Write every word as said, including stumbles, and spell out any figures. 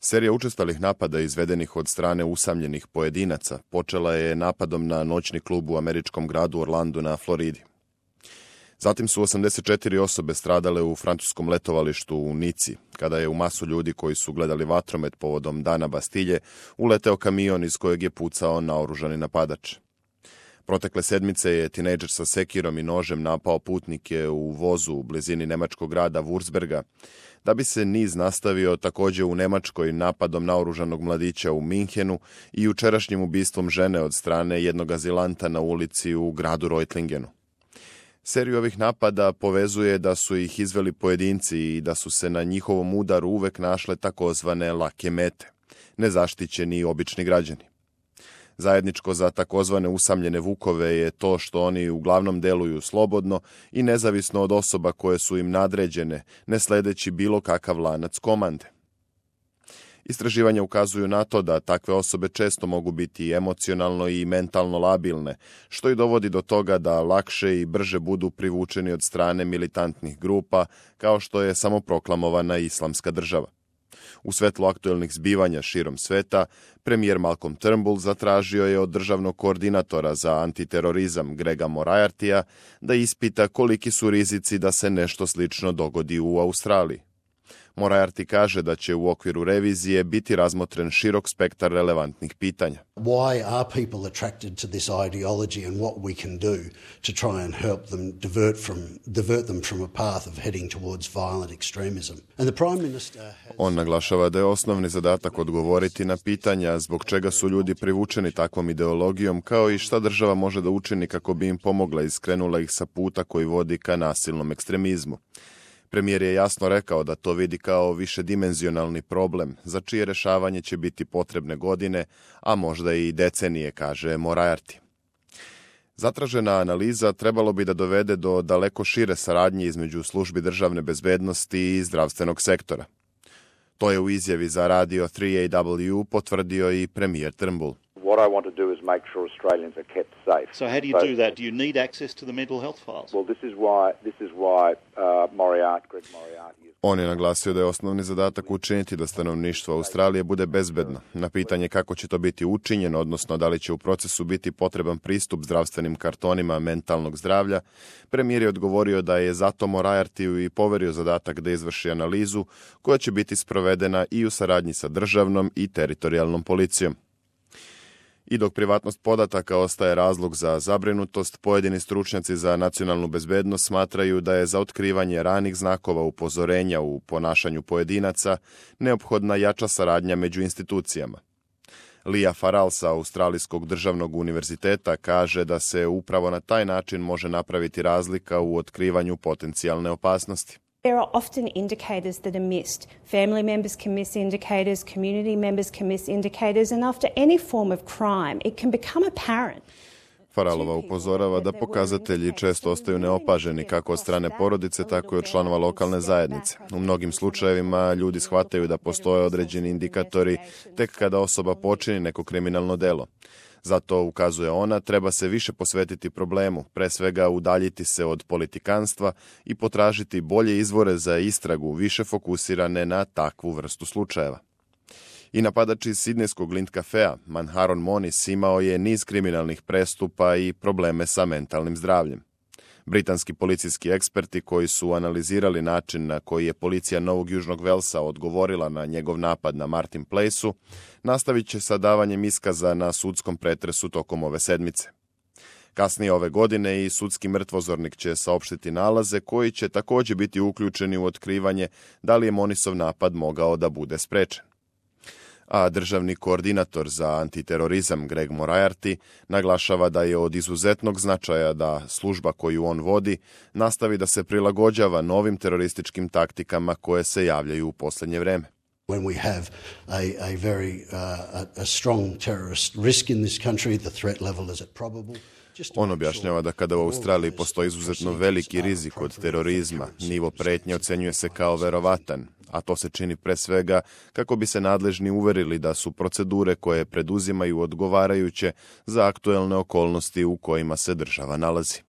Serija učestalih napada izvedenih od strane usamljenih pojedinaca počela je napadom na noćni klub u američkom gradu Orlandu na Floridi. Zatim su osamdeset četiri osobe stradale u francuskom letovalištu u Nici, kada je u masu ljudi koji su gledali vatromet povodom Dana Bastilje uleteo kamion iz kojeg je pucao naoružani napadač. Protekle sedmice je tinejdžer sa sekirom i nožem napao putnike u vozu u blizini nemačkog grada Wurzburga, da bi se niz nastavio također u Nemačkoj napadom naoružanog mladića u Minhenu i jučerašnjim ubistvom žene od strane jednog azilanta na ulici u gradu Reutlingenu. Seriju ovih napada povezuje da su ih izveli pojedinci i da su se na njihovom udaru uvek našle takozvane lake mete, nezaštićeni i obični građani. Zajedničko za takozvane usamljene vukove je to što oni uglavnom deluju slobodno i nezavisno od osoba koje su im nadređene, ne sledeći bilo kakav lanac komande. Istraživanja ukazuju na to da takve osobe često mogu biti emocionalno i mentalno labilne, što i dovodi do toga da lakše i brže budu privučeni od strane militantnih grupa, kao što je samoproklamovana Islamska država. U svetlu aktuelnih zbivanja širom sveta, premijer Malcolm Turnbull zatražio je od državnog koordinatora za antiterorizam Grega Moriartya da ispita koliki su rizici da se nešto slično dogodi u Australiji. Moriarty kaže da će u okviru revizije biti razmotren širok spektar relevantnih pitanja. Why are people attracted to this ideology and what we can do to try and help them divert from divert them from a path of heading towards violent extremism? And the Prime Minister has... On naglašava da je osnovni zadatak odgovoriti na pitanja zbog čega su ljudi privučeni takvom ideologijom, kao i šta država može da učini kako bi im pomogla i skrenula ih sa puta koji vodi ka nasilnom ekstremizmu. Premijer je jasno rekao da to vidi kao višedimenzionalni problem, za čije rešavanje će biti potrebne godine, a možda i decenije, kaže Moriarty. Zatražena analiza trebalo bi da dovede do daleko šire saradnje između službi državne bezbednosti i zdravstvenog sektora. To je u izjavi za radio tri A W potvrdio i premijer Turnbull. What I want to do is make sure Australians are kept safe. So how do you so, do that? Do you need access to the mental health files? Well, this is why this is why uh, Moriarty, Greg Moriarty is... On je naglasio da je osnovni zadatak učiniti da stanovništvo Australije bude bezbedno. Na pitanje kako će to biti učinjeno, odnosno da li će u procesu biti potreban pristup zdravstvenim kartonima mentalnog zdravlja, premijer je odgovorio da je zato Moriartyu i poverio zadatak da izvrši analizu koja će biti sprovedena i u saradnji sa državnom i teritorijalnom policijom. I dok privatnost podataka ostaje razlog za zabrinutost, pojedini stručnjaci za nacionalnu bezbednost smatraju da je za otkrivanje ranih znakova upozorenja u ponašanju pojedinaca neophodna jača saradnja među institucijama. Leah Farrell sa Australijskog državnog univerziteta kaže da se upravo na taj način može napraviti razlika u otkrivanju potencijalne opasnosti. There are often indicators that are missed. Family members can miss indicators, community members can miss indicators, and after any form of crime, it can become apparent. Faralova upozorava da pokazatelji često ostaju neopaženi kako od strane porodice, tako i od članova lokalne zajednice. U mnogim slučajevima ljudi shvataju da postoje određeni indikatori tek kada osoba počini neko kriminalno delo. Zato, ukazuje ona, treba se više posvetiti problemu, pre svega udaljiti se od politikanstva i potražiti bolje izvore za istragu, više fokusirane na takvu vrstu slučajeva. I napadač iz sidnejskog Lind kafea, Manharon Monis, imao je niz kriminalnih prestupa i probleme sa mentalnim zdravljem. Britanski policijski eksperti koji su analizirali način na koji je policija Novog Južnog Velsa odgovorila na njegov napad na Martin Place-u, nastavit će sa davanjem iskaza na sudskom pretresu tokom ove sedmice. Kasnije ove godine i sudski mrtvozornik će saopštiti nalaze koji će također biti uključeni u otkrivanje da li je Monisov napad mogao da bude sprečen. A državni koordinator za antiterorizam Greg Moriarty naglašava da je od izuzetnog značaja da služba koju on vodi nastavi da se prilagođava novim terorističkim taktikama koje se javljaju u posljednje vreme. When we have a, a very uh, a, a strong terrorist risk in this country, the threat level is at probable. On objašnjava da kada u Australiji postoji izuzetno veliki rizik od terorizma, nivo pretnje ocenjuje se kao verovatan, a to se čini pre svega kako bi se nadležni uverili da su procedure koje preduzimaju odgovarajuće za aktuelne okolnosti u kojima se država nalazi.